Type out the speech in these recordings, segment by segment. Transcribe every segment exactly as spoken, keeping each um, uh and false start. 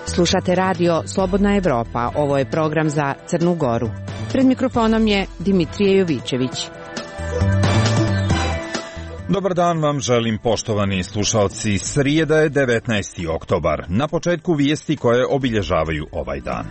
Slušate radio Slobodna Evropa, ovo je program za Crnu Goru. Pred mikrofonom je Dimitrije Jovićević. Dobar dan vam želim, poštovani slušalci. Srijeda je devetnaesti oktobar. Na početku vijesti koje obilježavaju ovaj dan.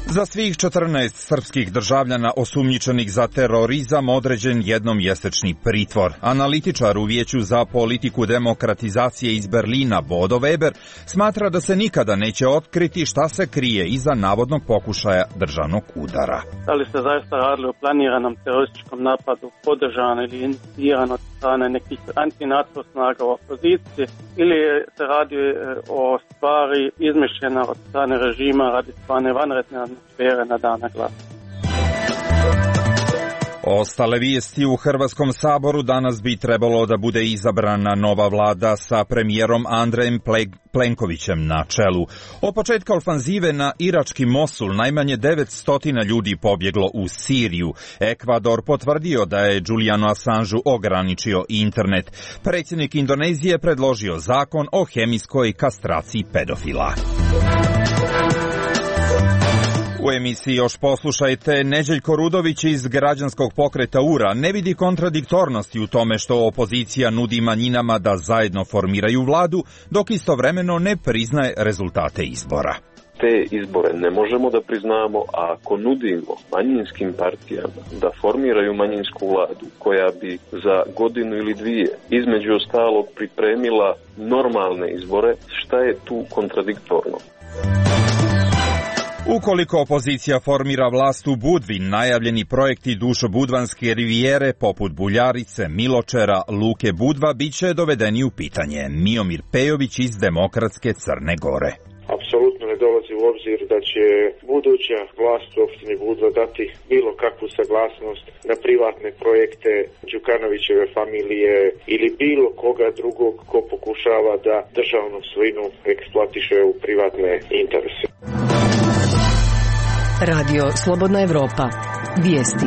Za svih četrnaest srpskih državljana osumnjičenih za terorizam određen jednomjesečni pritvor. Analitičar u Vijeću za politiku demokratizacije iz Berlina Bodo Weber smatra da se nikada neće otkriti šta se krije iza navodnog pokušaja državnog udara. Da li se zaista radilo o planiranom terorističkom napadu podržano ili inicirano od strane nekih antinato snaga u opoziciji ili se radi o stvari izmišljena od strane režima radi stvarne vanredne atmosfere na dana glasa. Ostale vijesti u Hrvatskom saboru. Danas bi trebalo da bude izabrana nova vlada sa premijerom Andrejem Plenkovićem na čelu. Od početka ofanzive na irački Mosul najmanje devetsto ljudi pobjeglo u Siriju. Ekvador potvrdio da je Julianu Assangeu ograničio internet. Predsjednik Indonezije predložio zakon o hemijskoj kastraciji pedofila. U emisiji još poslušajte, Neđeljko Rudović iz građanskog pokreta U R A ne vidi kontradiktornosti u tome što opozicija nudi manjinama da zajedno formiraju vladu, dok istovremeno ne priznaje rezultate izbora. Te izbore ne možemo da priznamo, a ako nudimo manjinskim partijama da formiraju manjinsku vladu koja bi za godinu ili dvije između ostalog pripremila normalne izbore, šta je tu kontradiktorno? Ukoliko opozicija formira vlast u Budvi, najavljeni projekti Dušo-Budvanske rivijere poput Buljarice, Miločera, Luke Budva biće dovedeni u pitanje. Miomir Pejović iz Demokratske Crne Gore. Apsolutno ne dolazi u obzir da će buduća vlast u opštini Budva dati bilo kakvu saglasnost na privatne projekte Đukanovićeve familije ili bilo koga drugog ko pokušava da državnu svojinu eksploatiše u privatne interese. Radio Slobodna Evropa. Vijesti.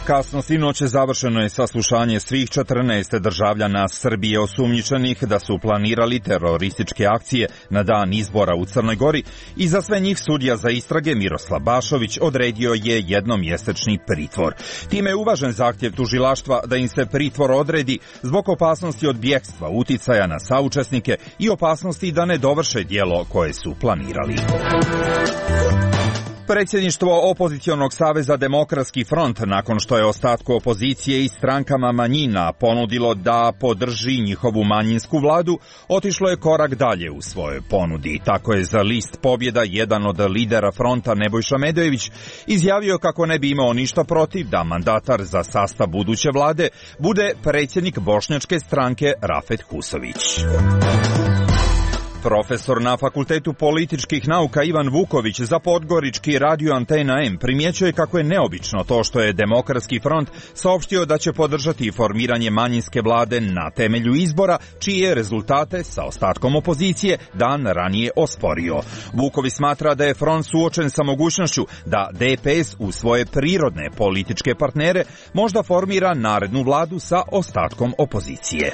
Kasno sinoć završeno je saslušanje svih četrnaest državljana Srbije osumnjičenih da su planirali terorističke akcije na dan izbora u Crnoj Gori i za sve njih sudija za istrage Miroslav Bašović odredio je jednomjesečni pritvor. Time je uvažen zahtjev tužilaštva da im se pritvor odredi zbog opasnosti od bjegstva, uticaja na saučesnike i opasnosti da ne dovrše djelo koje su planirali. Predsjedništvo opozicionog saveza Demokratski front, nakon što je ostatku opozicije i strankama manjina ponudilo da podrži njihovu manjinsku vladu, otišlo je korak dalje u svojoj ponudi. Tako je za list Pobjeda jedan od lidera fronta Nebojša Medojević izjavio kako ne bi imao ništa protiv da mandatar za sastav buduće vlade bude predsjednik bošnjačke stranke Rafet Husović. Profesor na Fakultetu političkih nauka Ivan Vuković za podgorički radio Antena M primjećuje kako je neobično to što je Demokratski front saopštio da će podržati formiranje manjinske vlade na temelju izbora, čije rezultate sa ostatkom opozicije dan ranije osporio. Vuković smatra da je front suočen sa mogućnošću da D P S u svoje prirodne političke partnere možda formira narednu vladu sa ostatkom opozicije.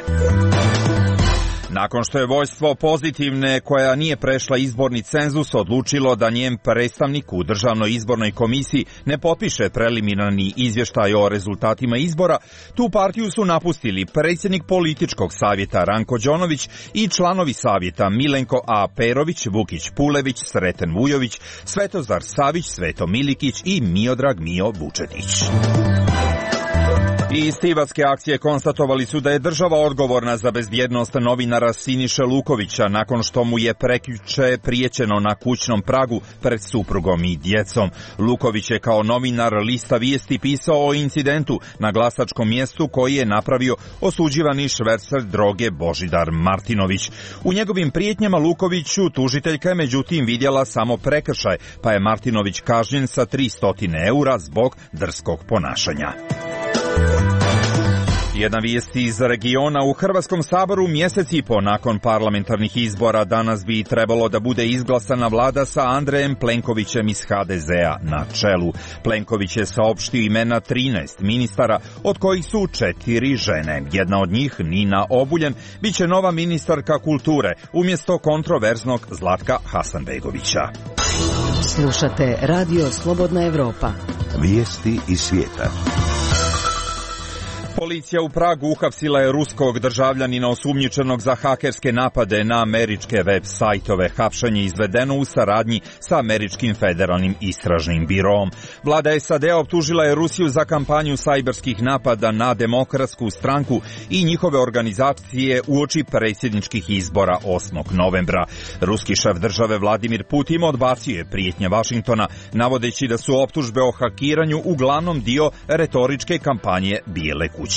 Nakon što je vođstvo Pozitivne, koja nije prešla izborni cenzus, odlučilo da njen predstavnik u Državnoj izbornoj komisiji ne potpiše preliminarni izvještaj o rezultatima izbora, tu partiju su napustili predsjednik političkog savjeta Ranko Đonović i članovi savjeta Milenko A. Perović, Vukić Pulević, Sreten Vujović, Svetozar Savić, Sveto Milikić i Miodrag Mio Vučetić. Iz Tivatske akcije konstatovali su da je država odgovorna za bezbjednost novinara Siniše Lukovića nakon što mu je prekjuče prijećeno na kućnom pragu pred suprugom i djecom. Luković je kao novinar Lista vijesti pisao o incidentu na glasačkom mjestu koji je napravio osuđivani švercer droge Božidar Martinović. U njegovim prijetnjama Lukoviću tužiteljka je međutim vidjela samo prekršaj, pa je Martinović kažnjen sa tristo eura zbog drskog ponašanja. Jedna vijest iz regiona: u Hrvatskom saboru mjesec i po nakon parlamentarnih izbora danas bi trebalo da bude izglasana vlada sa Andrejem Plenkovićem iz ha de zea na čelu. Plenković je saopštio imena trinaest ministara, od kojih su četiri žene. Jedna od njih, Nina Obuljen, biće nova ministarka kulture umjesto kontroverznog Zlatka Hasanbegovića. Slušate Radio Slobodna Evropa. Vijesti iz svijeta. Policija u Pragu uhapsila je ruskog državljanina osumnjičenog za hakerske napade na američke web sajtove. Hapšenje izvedeno u saradnji sa američkim federalnim istražnim biroom. Vlada es a de optužila je Rusiju za kampanju sajberskih napada na Demokratsku stranku i njihove organizacije uoči predsjedničkih izbora osmog novembra. Ruski šef države Vladimir Putin odbacio je prijetnje Vašingtona, navodeći da su optužbe o hakiranju uglavnom dio retoričke kampanje Bijele kuće.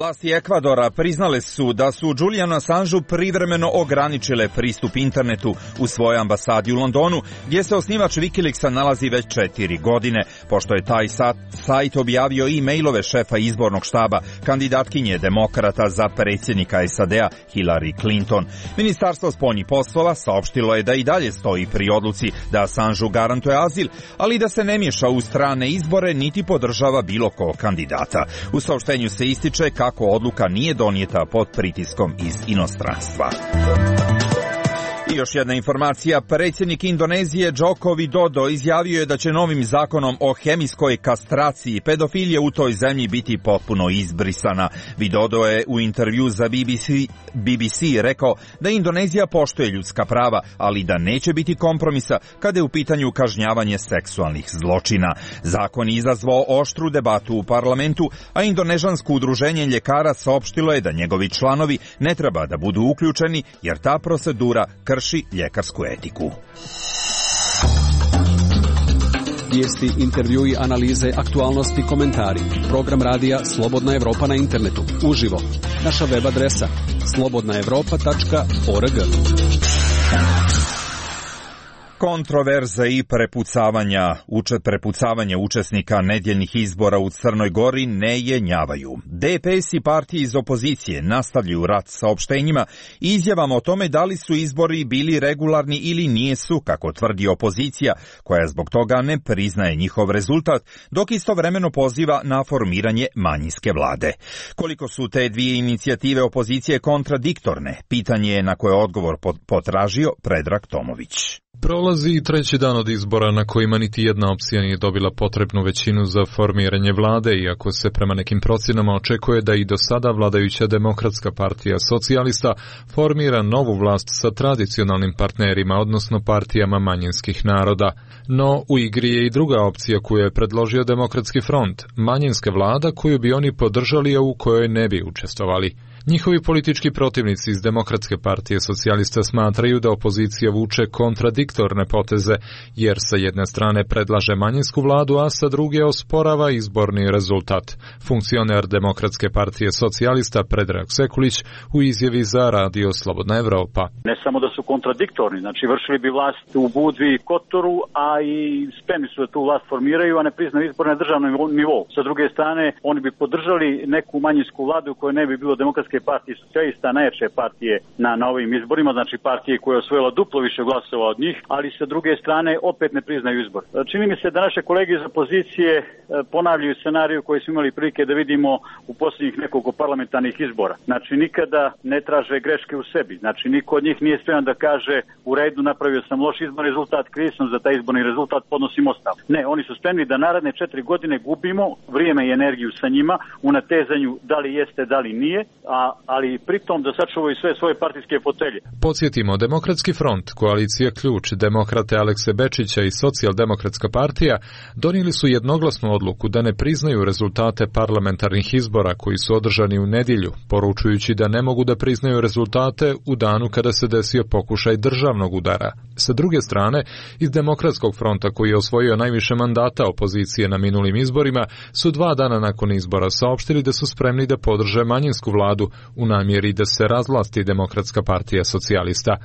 Vlasti Ekvadora priznale su da su Julianu Assangeu privremeno ograničile pristup internetu u svojoj ambasadi u Londonu, gdje se osnivač Wikileaksa nalazi već četiri godine, pošto je taj sajt objavio i mailove šefa izbornog štaba kandidatkinje demokrata za predsjednika es a de-a Hillary Clinton. Ministarstvo spoljnih poslova saopštilo je da i dalje stoji pri odluci da Assangeu garantuje azil, ali da se ne miješa u strane izbore niti podržava bilo kog kandidata. U saopštenju se ističe kako odluka nije donijeta pod pritiskom iz inostranstva. I još jedna informacija: predsjednik Indonezije Joko Widodo izjavio je da će novim zakonom o hemijskoj kastraciji pedofilija u toj zemlji biti potpuno izbrisana. Widodo je u intervju za be be ce, be be ce rekao da Indonezija poštuje ljudska prava, ali da neće biti kompromisa kada je u pitanju kažnjavanje seksualnih zločina. Zakon je izazvao oštru debatu u parlamentu, a indonežansko udruženje ljekara saopštilo je da njegovi članovi ne treba da budu uključeni jer ta procedura krši ljekarsku etiku. Vijesti, intervjui, analize, aktualnosti, komentari. Program radija Slobodna Evropa na internetu. Uživo. Naša web adresa slobodna evropa tačka org. Kontroverze i prepucavanja, uče, prepucavanje učesnika nedjeljnih izbora u Crnoj Gori ne jenjavaju. de pe es i partije iz opozicije nastavljaju rat saopštenjima i izjavama o tome da li su izbori bili regularni ili nijesu, kako tvrdi opozicija, koja zbog toga ne priznaje njihov rezultat, dok istovremeno poziva na formiranje manjinske vlade. Koliko su te dvije inicijative opozicije kontradiktorne, pitanje je na koje odgovor potražio Predrag Tomović. Prolazi i treći dan od izbora na kojima niti jedna opcija nije dobila potrebnu većinu za formiranje vlade, iako se prema nekim procjenama očekuje da i do sada vladajuća Demokratska partija socijalista formira novu vlast sa tradicionalnim partnerima, odnosno partijama manjinskih naroda. No, u igri je i druga opcija koju je predložio Demokratski front, manjinska vlada koju bi oni podržali, a u kojoj ne bi učestvovali. Njihovi politički protivnici iz Demokratske partije socijalista smatraju da opozicija vuče kontradiktorne poteze, jer sa jedne strane predlaže manjinsku vladu, a sa druge osporava izborni rezultat. Funkcioner Demokratske partije socijalista Predrag Sekulić u izjavi za Radio Slobodna Evropa. Ne samo da su kontradiktorni, znači vršili bi vlast u Budvi i Kotoru, a i spremni su da tu vlast formiraju, a ne priznaju izbor na državnom nivou. Sa druge strane, oni bi podržali neku manjinsku vladu u kojoj ne bi bilo Demokratske partije socijalista, najjače partije na, na ovim izborima, znači partije koja je osvojila duplo više glasova od njih, ali sa druge strane opet ne priznaju izbor. Čini mi se da naše kolege iz opozicije ponavljaju scenariju koji smo imali prilike da vidimo u posljednjih nekoliko parlamentarnih izbora. Znači nikada ne traže greške u sebi, znači niko od njih nije spreman da kaže u redu, napravio sam loš izborni rezultat, kriv sam za taj izborni rezultat, podnosim ostavku. Ne, oni su spremni da naredne četiri godine gubimo vrijeme i energiju sa njima u natezanju da li jeste, da li nije, a ali pritom da sačuvaju sve svoje partijske fotelje. Podsjetimo, Demokratski front, koalicija Ključ, demokrate Alekse Bečića i Socijaldemokratska partija donijeli su jednoglasnu odluku da ne priznaju rezultate parlamentarnih izbora koji su održani u nedjelju, poručujući da ne mogu da priznaju rezultate u danu kada se desio pokušaj državnog udara. Sa druge strane, iz Demokratskog fronta, koji je osvojio najviše mandata opozicije na minulim izborima, su dva dana nakon izbora saopštili da su spremni da podrže manjinsku vladu, vladu u namjeri da se razvlasti Demokratska partija socijalista.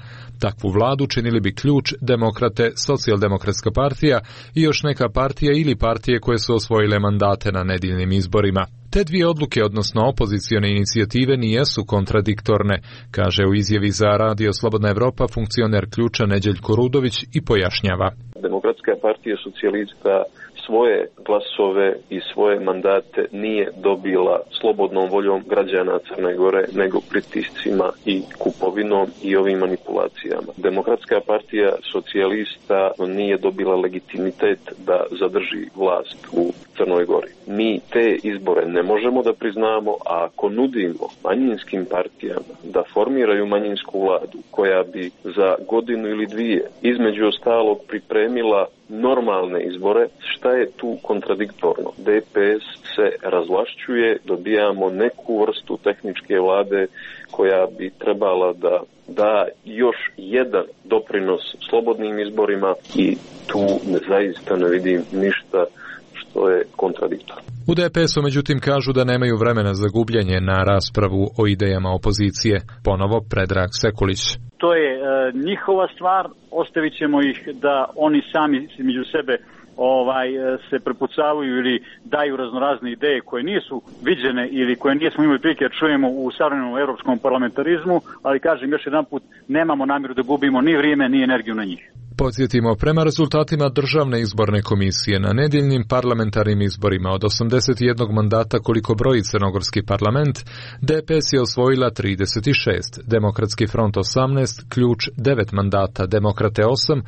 Takvu vladu činili bi Ključ, Demokrate, Socijaldemokratska partija i još neka partija ili partije koje su osvojile mandate na nedeljnim izborima. Te dvije odluke, odnosno opozicione inicijative, nijesu kontradiktorne, kaže u izjavi za Radio Slobodna Evropa funkcioner Ključa Neđeljko Rudović i pojašnjava. Demokratska partija socijalista svoje glasove i svoje mandate nije dobila slobodnom voljom građana Crne Gore, nego pritiscima i kupovinom i ovim manipulacijama. Demokratska partija socijalista nije dobila legitimitet da zadrži vlast u Crnoj Gori. Mi te izbore ne možemo da priznamo, a ako nudimo manjinskim partijama da formiraju manjinsku vladu koja bi za godinu ili dvije između ostalog pripremila normalne izbore, šta je tu kontradiktorno? D P S se razvlašćuje, dobijamo neku vrstu tehničke vlade koja bi trebala da da još jedan doprinos slobodnim izborima i tu zaista ne vidim ništa što je kontradiktorno. U D P S-u međutim kažu da nemaju vremena za gubljenje na raspravu o idejama opozicije. Ponovo Predrag Sekulić. To je e, njihova stvar, ostavit ćemo ih da oni sami među sebe ovaj se prepucavaju ili daju raznorazne ideje koje nisu viđene ili koje nismo imali prilike da čujemo u savremenom europskom parlamentarizmu, ali kažem još jedanput, nemamo namjeru da gubimo ni vrijeme ni energiju na njih. Podsjetimo, prema rezultatima Državne izborne komisije na nedeljnim parlamentarnim izborima od osamdeset jednog mandata koliko broji crnogorski parlament, D P S je osvojila trideset šest, Demokratski front osamnaest, Ključ devet mandata, Demokrate osam,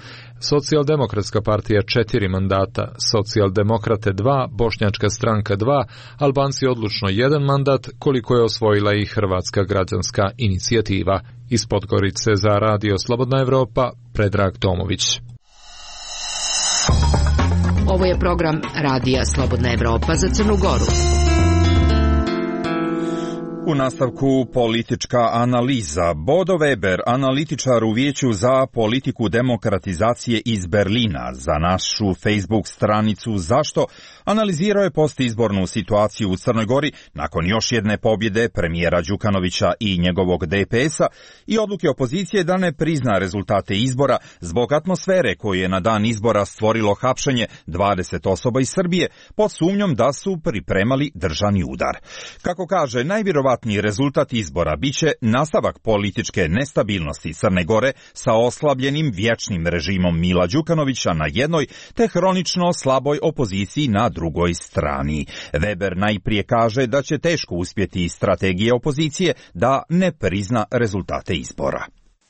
Socijaldemokratska partija četiri mandata, Socijaldemokrate dva, Bošnjačka stranka dva, Albanci odlučno jedan mandat, koliko je osvojila i Hrvatska građanska inicijativa. Iz Podgorice za Radio Slobodna Evropa, Predrag Tomović. Ovo je program Radija Slobodna Evropa za Crnu Goru. U nastavku politička analiza. Bodo Weber, analitičar u Vijeću za politiku demokratizacije iz Berlina, za našu Facebook stranicu Zašto, analizirao je postizbornu situaciju u Crnoj Gori nakon još jedne pobjede premijera Đukanovića i njegovog D P S-a i odluke opozicije da ne prizna rezultate izbora zbog atmosfere koju je na dan izbora stvorilo hapšenje dvadeset osoba iz Srbije pod sumnjom da su pripremali državni udar. Kako kaže, najvjerovatniji rezultat izbora biće nastavak političke nestabilnosti Crne Gore sa oslabljenim vječnim režimom Mila Đukanovića na jednoj te hronično slaboj opoziciji na drugoj strani. Weber najprije kaže da će teško uspjeti strategije opozicije da ne prizna rezultate izbora.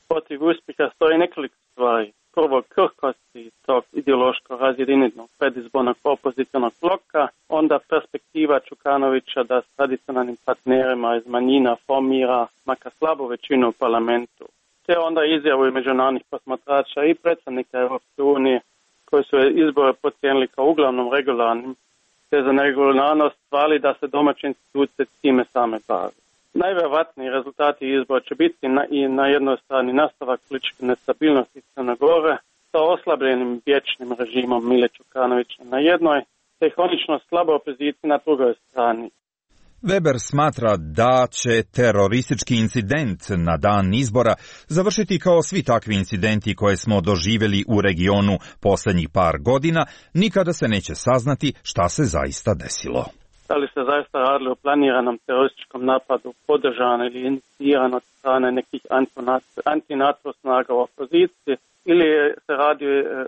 Protiv uspjeha stoji nekoliko stvari. Prvo, krhkosti tog ideološko razjedinjenog predizbornog opozicionog bloka, onda perspektiva Đukanovića da s tradicionalnim partnerima iz manjina formira makar slabu većinu u parlamentu. Te onda izjavu i međunarodnih posmatrača i predsjednika Europske unije koji su izbore procijenili kao uglavnom regularnim, te za neregularnost hvali da se domaće institucije time same bave. Najvjerojatniji rezultati izbora će biti na, i na jednoj strani nastavak političke nestabilnosti Crne Gore sa oslabljenim vječnim režimom Mile Đukanovića na jednoj, te hronično slabo opoziciji na drugoj strani. Weber smatra da će teroristički incident na dan izbora završiti kao svi takvi incidenti koje smo doživjeli u regionu posljednjih par godina, nikada se neće saznati šta se zaista desilo. Da li se zaista radilo o planiranom terorističkom napadu podržan ili iniciran od strane nekih anti-NATO snaga u opoziciji ili se radi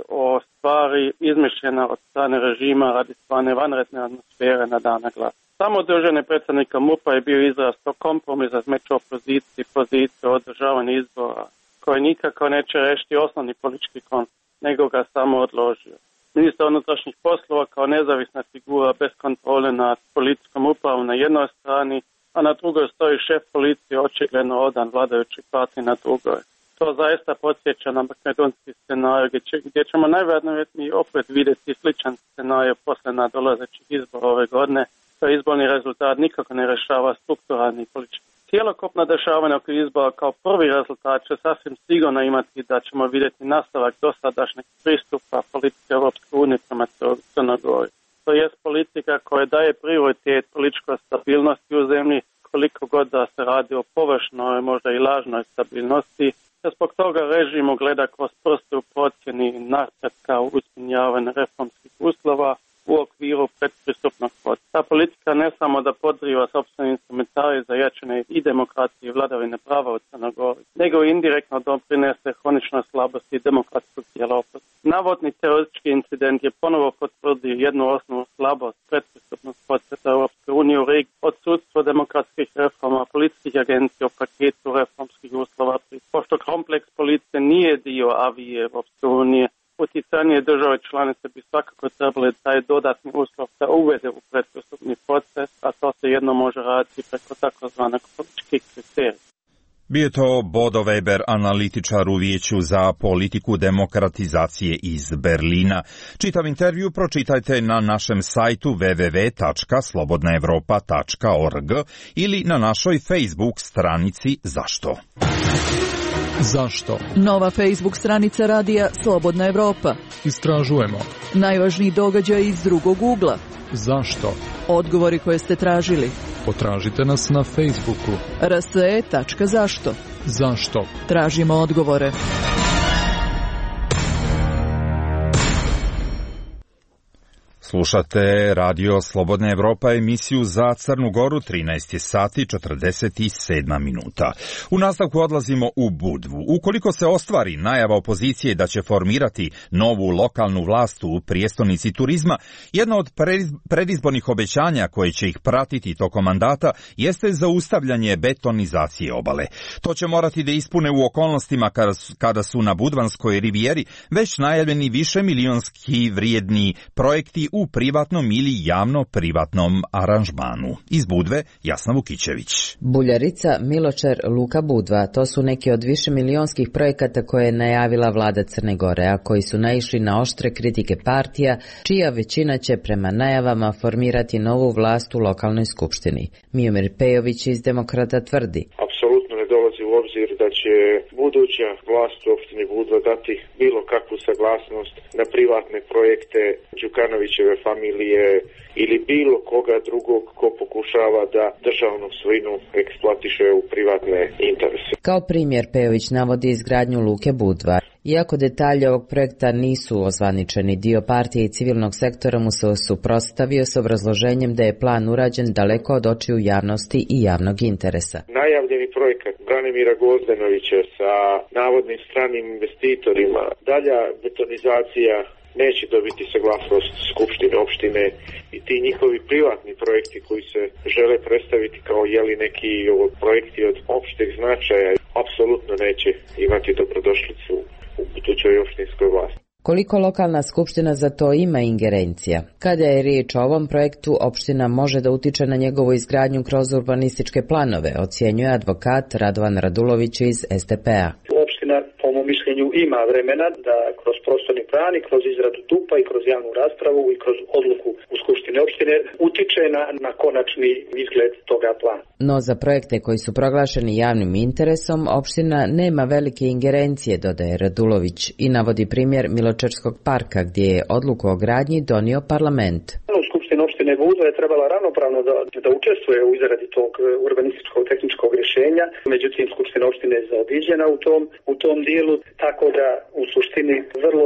o stvari izmišljena od strane režima radi stvarne vanredne atmosfere na dana glasa. Samo održanje predsjednika M U P-a je bio izraz tog kompromisa između opozicije i pozicije o održavanju izbora koji nikako neće rešiti osnovni politički konflikt, nego ga samo odložio. Ministar unutrašnjih poslova kao nezavisna figura bez kontrole nad policijskom upravom na jednoj strani, a na drugoj stoji šef policije očigledno odan vladajućoj partiji na drugoj. To zaista podsjeća na makedonski scenarij gdje, će, gdje ćemo najvjerojatnije opet vidjeti sličan scenarij posle nadolazećih izbora ove godine. To izborni rezultat nikako ne rešava strukturalni politički. Cijelokupna dešavanja oko izbora kao prvi rezultat će sasvim sigurno imati da ćemo vidjeti nastavak dosadašnjeg pristupa politike Europske unije prema Crnoj Gori. To je politika koja daje prioritet političkoj stabilnosti u zemlji, koliko god da se radi o površnoj, možda i lažnoj stabilnosti, te zbog toga režim gleda kroz prste u procjeni napretka u ispunjavanju reformskih uslova u okviru predpristupnog procesa. Ta politika ne samo da podriva sopstveni instrumentarij za jačanje i demokracije i vladavine prava u Crnoj Gori, nego i indirektno doprinese hroničnoj slabosti demokratskog tijela opozicije. Navodni teroristički incident je ponovo potvrdio jednu osnovnu slabost predpristupnog procesa Europske unije u regiji, odsudstvo demokratskih reforma, policijskih agencija u paketu reformskih uslova. Pošto kompleks policije nije dio avije Europske unije, utjecanje države članice bi svakako trebali taj dodatni uslov da uvede u predpristupni proces, a to se jedno može raditi preko takozvanog političkih kriterija. Bio to Bodo Weber, analitičar u Vijeću za politiku demokratizacije iz Berlina. Čitav intervju pročitajte na našem sajtu w w w tačka slobodna evropa tačka org ili na našoj Facebook stranici Zašto? Zašto? Nova Facebook stranica radija Slobodna Evropa. Istražujemo. Najvažniji događaj iz drugog ugla. Zašto? Odgovori koje ste tražili. Potražite nas na Facebooku. r s e tačka zašto. Zašto? Tražimo odgovore. Slušate Radio Slobodna Evropa, emisiju za Crnu Goru, trinaest sati četrdeset sedam minuta. U nastavku odlazimo u Budvu. Ukoliko se ostvari najava opozicije da će formirati novu lokalnu vlast u prijestolnici turizma, jedno od predizbornih obećanja koje će ih pratiti tokom mandata jeste zaustavljanje betonizacije obale. To će morati da ispune u okolnostima kada su na Budvanskoj rivijeri već najavljeni više milionski vrijedni projekti u privatnom ili javno-privatnom aranžmanu. Iz Budve, Jasna Vukićević. Buljarica, Miločer, Luka Budva, to su neki od više milionskih projekata koje je najavila vlada Crne Gore, a koji su naišli na oštre kritike partija, čija većina će prema najavama formirati novu vlast u lokalnoj skupštini. Miomir Pejović iz Demokrata tvrdi: Apsolutno ne dolazi u obzir da će buduća vlast u opštini Budva dati bilo kakvu saglasnost na privatne projekte Đukanovićeve familije ili bilo koga drugog ko pokušava da državnu svojinu eksploatiše u privatne interese. Kao primjer Pejović navodi izgradnju Luke Budva. Iako detalje ovog projekta nisu ozvaničeni, dio partije i civilnog sektora mu se suprotstavio s obrazloženjem da je plan urađen daleko od očiju javnosti i javnog interesa. Najavljeni projekat Branimira Gozdenovića sa navodnim stranim investitorima, dalja betonizacija neće dobiti saglasnost Skupštine opštine i ti njihovi privatni projekti koji se žele predstaviti kao jeli neki projekti od opšteg značaja apsolutno neće imati dobrodošlicu u budućoj opštinskoj vlasti. Koliko lokalna skupština za to ima ingerencija? Kada je riječ o ovom projektu, opština može da utiče na njegovu izgradnju kroz urbanističke planove, ocjenjuje advokat Radovan Radulović iz S D P-a. Opština, po mom mišljenju, ima vremena da kroz prostorni plan i kroz izradu T U P-a i kroz javnu raspravu i kroz odluku u skupštini opštine utiče na, na konačni izgled toga plana. No za projekte koji su proglašeni javnim interesom, opština nema velike ingerencije, dodaje Radulović i navodi primjer Miločerskog parka gdje je odluku o gradnji donio parlament. Skupština opštine Budva je trebala ravnopravno da, da učestvuje u izradi tog urbanističkog tehničkog rješenja, međutim Skupština opštine je zaobiđena u tom, u tom dijelu, tako da u suštini vrlo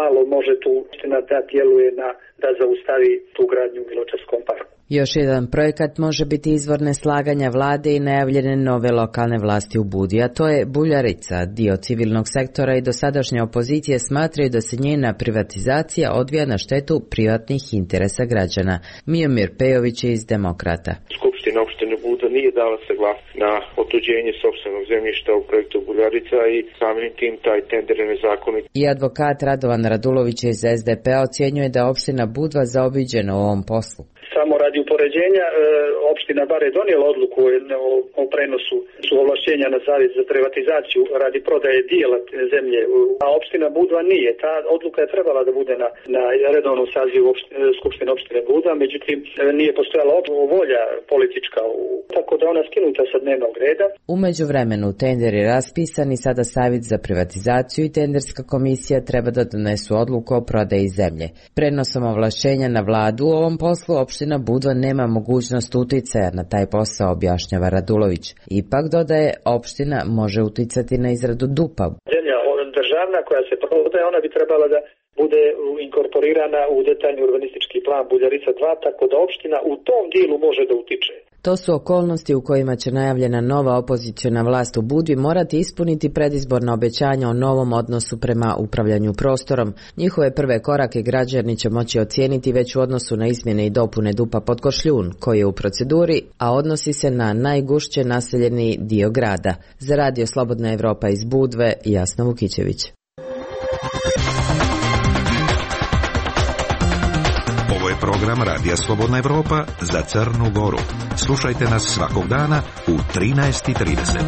malo može tu opština da djeluje na, da zaustavi tu gradnju u Miločerskom parku. Još jedan projekat može biti izvor neslaganja vlade i najavljene nove lokalne vlasti u Budi, a to je Buljarica. Dio civilnog sektora i dosadašnje opozicije smatraju da se njena privatizacija odvija na štetu privatnih interesa građana. Miomir Pejović iz Demokrata. Skupština opštine Buda nije dala saglasnost na otuđenje sopstvenog zemljišta u projektu Buljarica i samim tim taj tender je nezakonit. I advokat Radovan Radulović iz S D P-a ocjenjuje da opština Budva zaobiđena u ovom poslu. Samo radi upoređenja, e, opština bar je donijela odluku o, o prenosu su ovlašćenja na savjet za privatizaciju radi prodaje dijela zemlje, a opština Budva nije. Ta odluka je trebala da bude na, na redovnom sazivu opštine, skupštine opštine Budva, međutim nije postojala volja politička, u, tako da ona skinuta sa dnevnog reda. U međuvremenu tender je raspisan i sada savjet za privatizaciju i tenderska komisija treba da donesu odluku o prodaji zemlje. Prenosom ovlašćenja na vladu u ovom poslu opština Budva ne nema mogućnost uticaja na taj posao, objašnjava Radulović. Ipak, dodaje, opština može uticati na izradu D U P-a. Zemlja državna koja se prodaje, ona bi trebala da bude inkorporirana u detaljni urbanistički plan Buljarica dva, tako da opština u tom dijelu može da utiče. To su okolnosti u kojima će najavljena nova opoziciona vlast u Budvi morati ispuniti predizborna obećanja o novom odnosu prema upravljanju prostorom. Njihove prve korake građani će moći ocijeniti već u odnosu na izmjene i dopune D U P-a Podkošljun, koji je u proceduri, a odnosi se na najgušće naseljeni dio grada. Za Radio Slobodna Evropa iz Budve, Jasna Vukićević. Ovo je program Radija Slobodna Evropa za Crnu Goru. Slušajte nas svakog dana u trinaest i trideset.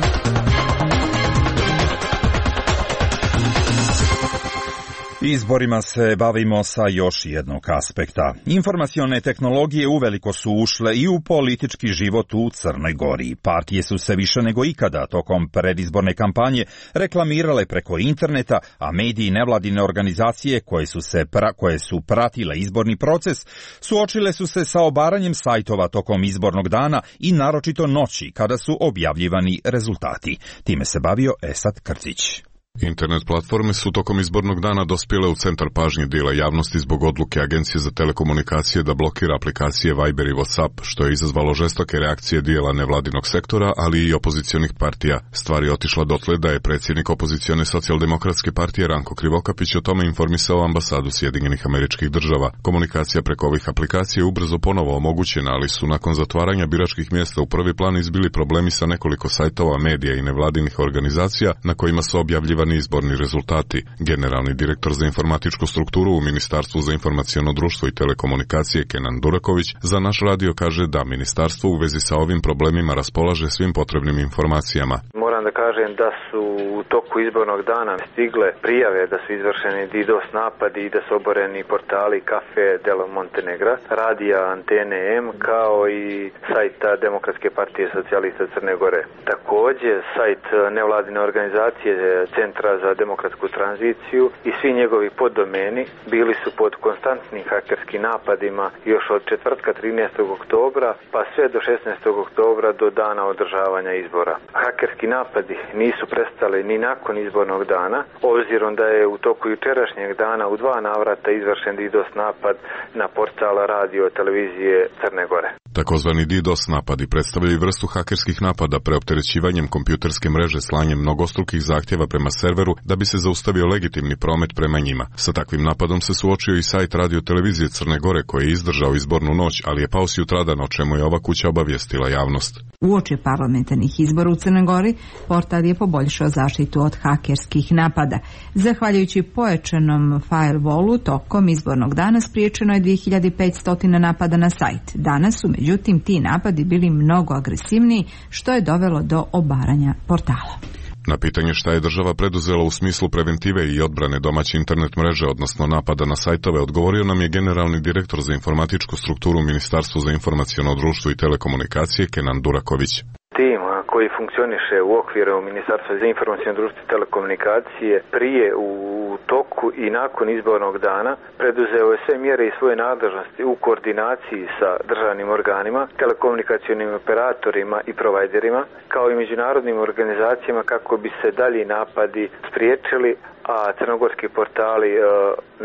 Izborima se bavimo sa još jednog aspekta. Informacione tehnologije uveliko su ušle i u politički život u Crnoj Gori. Partije su se više nego ikada tokom predizborne kampanje reklamirale preko interneta, a mediji i nevladine organizacije koje su, se pra, koje su pratile izborni proces suočile su se sa obaranjem sajtova tokom izbornog dana i naročito noći kada su objavljivani rezultati. Time se bavio Esad Krcić. Internet platforme su tokom izbornog dana dospjele u centar pažnje dijela javnosti zbog odluke Agencije za telekomunikacije da blokira aplikacije Viber i WhatsApp, što je izazvalo žestoke reakcije dijela nevladinog sektora, ali i opozicionih partija. Stvar je otišla dotle da je predsjednik opozicione socijaldemokratske partije Ranko Krivokapić o tome informisao ambasadu Sjedinjenih Američkih Država. Komunikacija preko ovih aplikacija je ubrzo ponovo omogućena, ali su nakon zatvaranja biračkih mjesta u prvi plan izbili problemi sa nekoliko sajtova, medija i nevladinih organizacija na kojima su objavljivani izborni rezultati. Generalni direktor za informatičku strukturu u Ministarstvu za informaciono društvo i telekomunikacije Kenan Duraković za naš radio kaže da ministarstvo u vezi sa ovim problemima raspolaže svim potrebnim informacijama. Moram da kažem da su u toku izbornog dana stigle prijave da su izvršeni DDoS napadi i da su oboreni portali Cafe del Montenegra, radija Antene M, kao i sajta Demokratske partije socijalista Crne Gore. Također, sajt nevladine organizacije Centra za demokratsku tranziciju i svi njegovi poddomeni bili su pod konstantnim hakerskim napadima još od četvrtka trinaestog oktobra pa sve do šesnaestog oktobra do dana održavanja izbora. Hakerski napadi nisu prestali ni nakon izbornog dana, obzirom da je u toku jučerašnjeg dana u dva navrata izvršen DDoS napad na portala radio televizije Crne Gore. Takozvani DDoS napadi predstavljaju vrstu hakerskih napada preopterećivanjem kompjuterske mreže slanjem mnogostrukih zahtjeva prema serveru da bi se zaustavio legitimni promet prema njima. Sa takvim napadom se suočio i sajt radio televizije Crne Gore koji je izdržao izbornu noć, ali je pao sutradan, o čemu je ova kuća obavijestila javnost. Uoči parlamentarnih izbora u Crnoj Gori, portal je poboljšao zaštitu od hakerskih napada. Zahvaljujući pojačanom firewallu, tokom izbornog dana spriječeno je dvije hiljade petsto napada na sajt. Danas su međutim ti napadi bili mnogo agresivniji, što je dovelo do obaranja portala. Na pitanje šta je država preduzela u smislu preventive i odbrane domaće internet mreže, odnosno napada na sajtove, odgovorio nam je generalni direktor za informatičku strukturu u Ministarstvu za informaciono društvo i telekomunikacije Kenan Duraković. Tim koji funkcioniše u okviru Ministarstva za informaciono društvo i telekomunikacije prije, u toku i nakon izbornog dana preduzeo je sve mjere i svoje nadležnosti u koordinaciji sa državnim organima, telekomunikacionim operatorima i provajderima, kao i međunarodnim organizacijama kako bi se dalji napadi spriječili, a crnogorski portali e,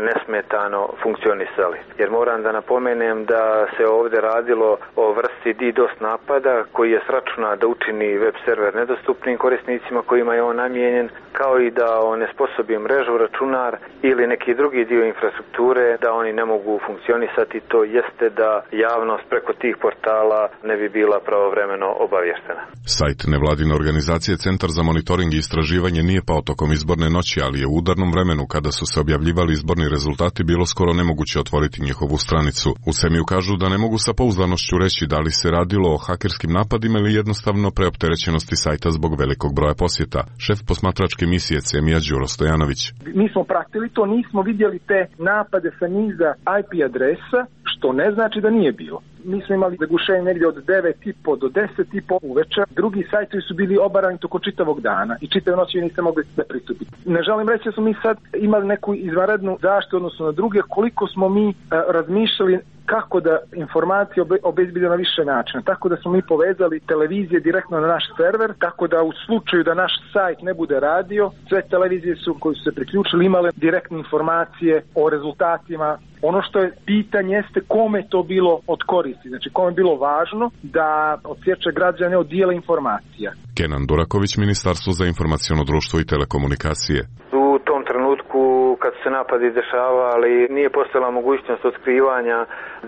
nesmetano funkcionisali. Jer moram da napomenem da se ovdje radilo o vrsti DDoS napada koji je sračuna da učini web server nedostupnim korisnicima kojima je on namijenjen, kao i da onesposobi mrežu, računar ili neki drugi dio infrastrukture da oni ne mogu funkcionisati. To jeste da javnost preko tih portala ne bi bila pravovremeno obavještena. Sajt nevladine organizacije Centar za monitoring i istraživanje nije pao tokom izborne noći, ali je u udarnom vremenu kada su se objavljivali izborni rezultati bilo skoro nemoguće otvoriti njihovu stranicu. U Semiju kažu da ne mogu sa pouzdanošću reći da li se radilo o hakerskim napadima ili jednostavno preopterećenosti sajta zbog velikog broja posjeta. Šef posmatračke misije Semija Đuro Stojanović. Mi smo pratili to, nismo vidjeli te napade sa niza I P adresa, što ne znači da nije bilo. Mi smo imali zagušenje negdje od devet i po do deset i po uveče. Drugi sajtovi su bili obarani toko čitavog dana i čitave noći niste mogli da pristupiti. Ne želim reći da smo mi sad imali neku izvanrednu zaštitu odnosno na druge, koliko smo mi a, razmišljali kako da informacije obe, obezbedimo na više načina. Tako da smo mi povezali televizije direktno na naš server, tako da u slučaju da naš sajt ne bude radio, sve televizije su koji su se priključili imale direktne informacije o rezultatima. Ono što je pitanje jeste kome je to bilo od koristi, znači kome je bilo važno da odsječe građane od dijela informacija. Kenan Duraković, Ministarstvo za informaciono društvo i telekomunikacije. U tom trenutku kad su se napadi dešavali nije postojala mogućnost otkrivanja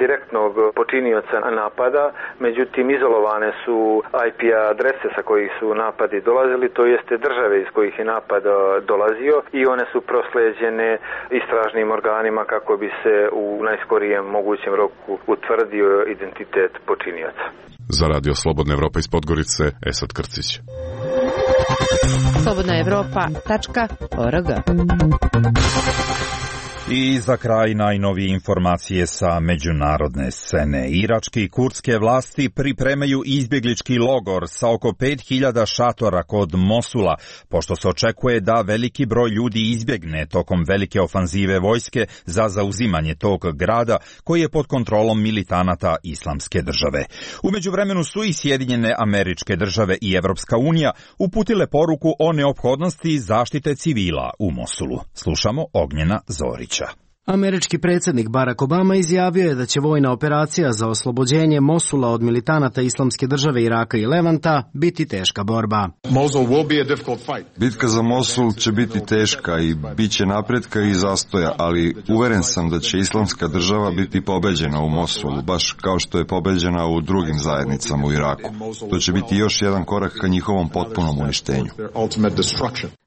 direktnog počinioca napada, međutim izolovane su I P adrese sa kojih su napadi dolazili, to jeste države iz kojih je napad dolazio i one su prosleđene istražnim organima kako bi se u najskorijem mogućem roku utvrdio identitet počinioca. Za Radio Slobodna Evropa iz Podgorice, Esad Krcić. slobodna evropa tačka org. I za kraj najnovije informacije sa međunarodne scene. Iračke i kurdske vlasti pripremaju izbjeglički logor sa oko pet hiljada šatora kod Mosula, pošto se očekuje da veliki broj ljudi izbjegne tokom velike ofanzive vojske za zauzimanje tog grada koji je pod kontrolom militanata Islamske države. U međuvremenu su i Sjedinjene Američke Države i Evropska unija uputile poruku o neophodnosti zaštite civila u Mosulu. Slušamo Ognjena Zorića. Američki predsjednik Barack Obama izjavio je da će vojna operacija za oslobođenje Mosula od militanata Islamske države Iraka i Levanta biti teška borba. Bitka za Mosul će biti teška i bit će napretka i zastoja, ali uveren sam da će Islamska država biti pobeđena u Mosulu, baš kao što je pobeđena u drugim zajednicama u Iraku. To će biti još jedan korak ka njihovom potpunom uništenju.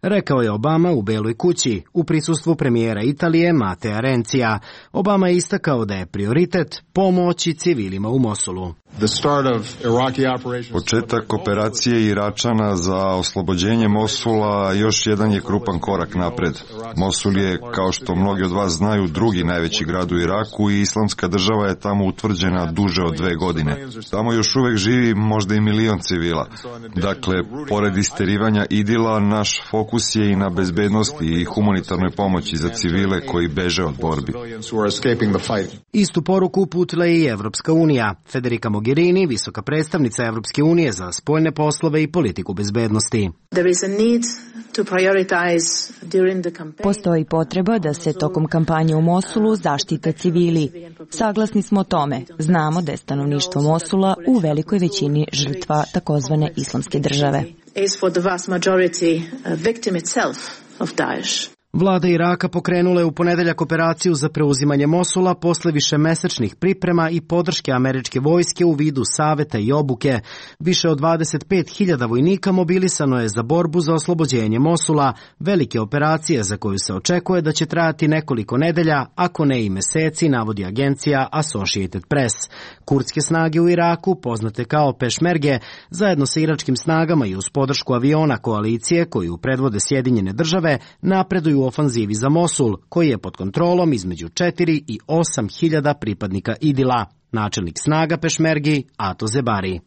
Rekao je Obama u Beloj kući, u prisustvu premijera Italije Matea Rencija. Obama je istakao da je prioritet pomoći civilima u Mosulu. Početak operacije Iračana za oslobođenje Mosula još jedan je krupan korak napred. Mosul je, kao što mnogi od vas znaju, drugi najveći grad u Iraku i Islamska država je tamo utvrđena duže od dve godine. Tamo još uvek živi možda i milion civila. Dakle, pored isterivanja idila, naš fokus je i na bezbednosti i humanitarnoj pomoći za civile koji beže od borbi. Istu poruku uputila je i Evropska unija. Federica Mogherini, visoka predstavnica Evropske unije za spoljne poslove i politiku bezbednosti. Postoji potreba da se tokom kampanje u Mosulu zaštite civili. Saglasni smo o tome. Znamo da je stanovništvo Mosula u velikoj većini žrtva takozvane Islamske države. Vlada Iraka pokrenula je u ponedeljak operaciju za preuzimanje Mosula posle višemesečnih priprema i podrške američke vojske u vidu saveta i obuke. Više od dvadeset pet hiljada vojnika mobilisano je za borbu za oslobođenje Mosula, velike operacije za koju se očekuje da će trajati nekoliko nedelja, ako ne i meseci, navodi agencija Associated Press. Kurdske snage u Iraku, poznate kao pešmerge, zajedno sa iračkim snagama i uz podršku aviona koalicije koju predvode Sjedinjene države, napreduju u ofanzivi za Mosul, koji je pod kontrolom između četiri i osam hiljada pripadnika Idila. Načelnik snaga pešmergi Ato Zebari.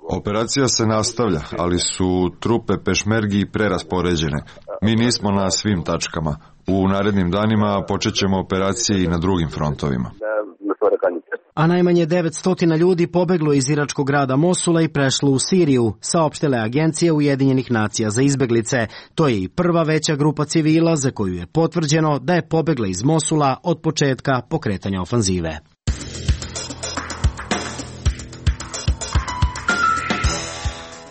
Operacija se nastavlja, ali su trupe pešmergi preraspoređene. Mi nismo na svim tačkama. U narednim danima počet ćemo operacije i na drugim frontovima. A najmanje devetsto ljudi pobeglo iz iračkog grada Mosula i prešlo u Siriju, saopštile agencije Ujedinjenih nacija za izbeglice. To je i prva veća grupa civila za koju je potvrđeno da je pobegla iz Mosula od početka pokretanja ofanzive.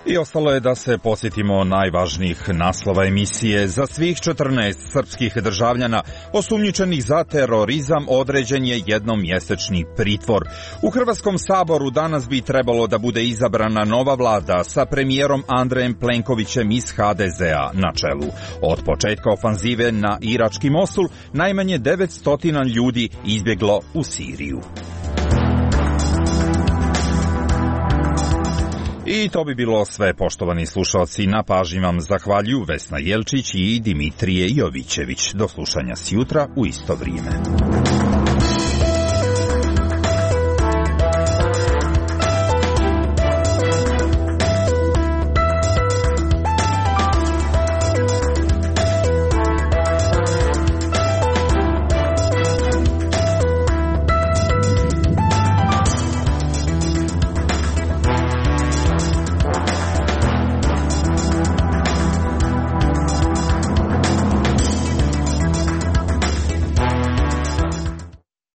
I ostalo je da se posjetimo najvažnijih naslova emisije. Za svih četrnaest srpskih državljana osumnjičenih za terorizam određen je jednomjesečni pritvor. U Hrvatskom saboru danas bi trebalo da bude izabrana nova vlada sa premijerom Andrejem Plenkovićem iz H D Z A na čelu. Od početka ofanzive na irački Mosul najmanje devetsto ljudi izbjeglo u Siriju. I to bi bilo sve, poštovani slušalci. Na pažnji vam zahvaljuju Vesna Jelčić i Dimitrije Jovićević. Do slušanja sjutra u isto vrijeme.